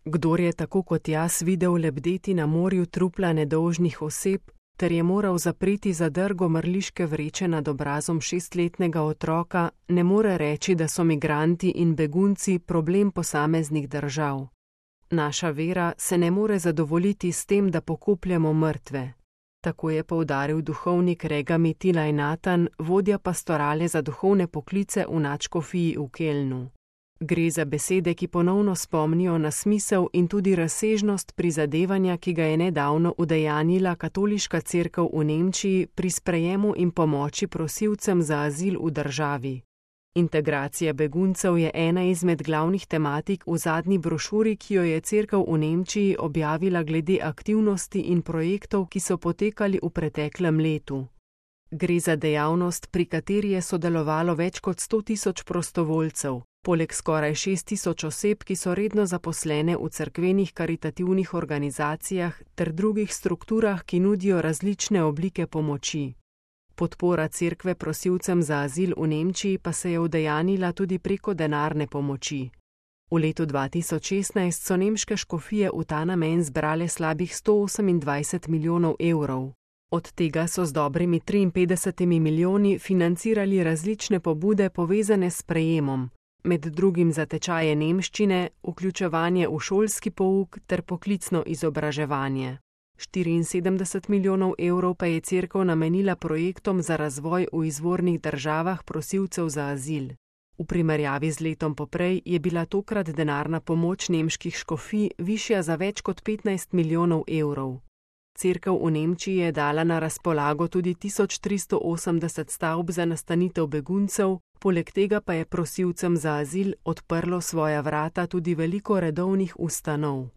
Kdor je tako kot jaz videl lebdeti na morju trupla nedolžnih oseb, ter je moral zapreti zadrgo mrliške vreče nad obrazom 6-letnega otroka, ne more reči, da so migranti in begunci problem posameznih držav. Naša vera se ne more zadovoljiti s tem, da pokopljamo mrtve. Tako je poudaril duhovnik Regami Tilaj Natan, vodja pastorale za duhovne poklice v nadškofiji v Kelnu. Gre za besede, ki ponovno spomnijo na smisel in tudi razsežnost prizadevanja, ki ga je nedavno udejanjila katoliška cerkev v Nemčiji pri sprejemu in pomoči prosilcem za azil v državi. Integracija beguncev je ena izmed glavnih tematik v zadnji brošuri, ki jo je cerkev v Nemčiji objavila glede aktivnosti in projektov, ki so potekali v preteklem letu. Gre za dejavnost, pri kateri je sodelovalo več kot 100.000 prostovoljcev, poleg skoraj 6.000 oseb, ki so redno zaposlene v cerkvenih karitativnih organizacijah ter drugih strukturah, ki nudijo različne oblike pomoči. Podpora cerkve prosilcem za azil v Nemčiji pa se je udejanila tudi preko denarne pomoči. V letu 2016 so nemške škofije v ta namen zbrale slabih 128 milijonov evrov. Od tega so z dobrimi 53 milijoni financirali različne pobude povezane s sprejemom, med drugim za tečaje nemščine, vključevanje v šolski pouk ter poklicno izobraževanje. 74 milijonov evrov pa je cerkev namenila projektom za razvoj v izvornih državah prosilcev za azil. V primerjavi z letom poprej je bila tokrat denarna pomoč nemških škofij višja za več kot 15 milijonov evrov. Cerkev v Nemčiji je dala na razpolago tudi 1380 stavb za nastanitev beguncev, poleg tega pa je prosilcem za azil odprlo svoja vrata tudi veliko redovnih ustanov.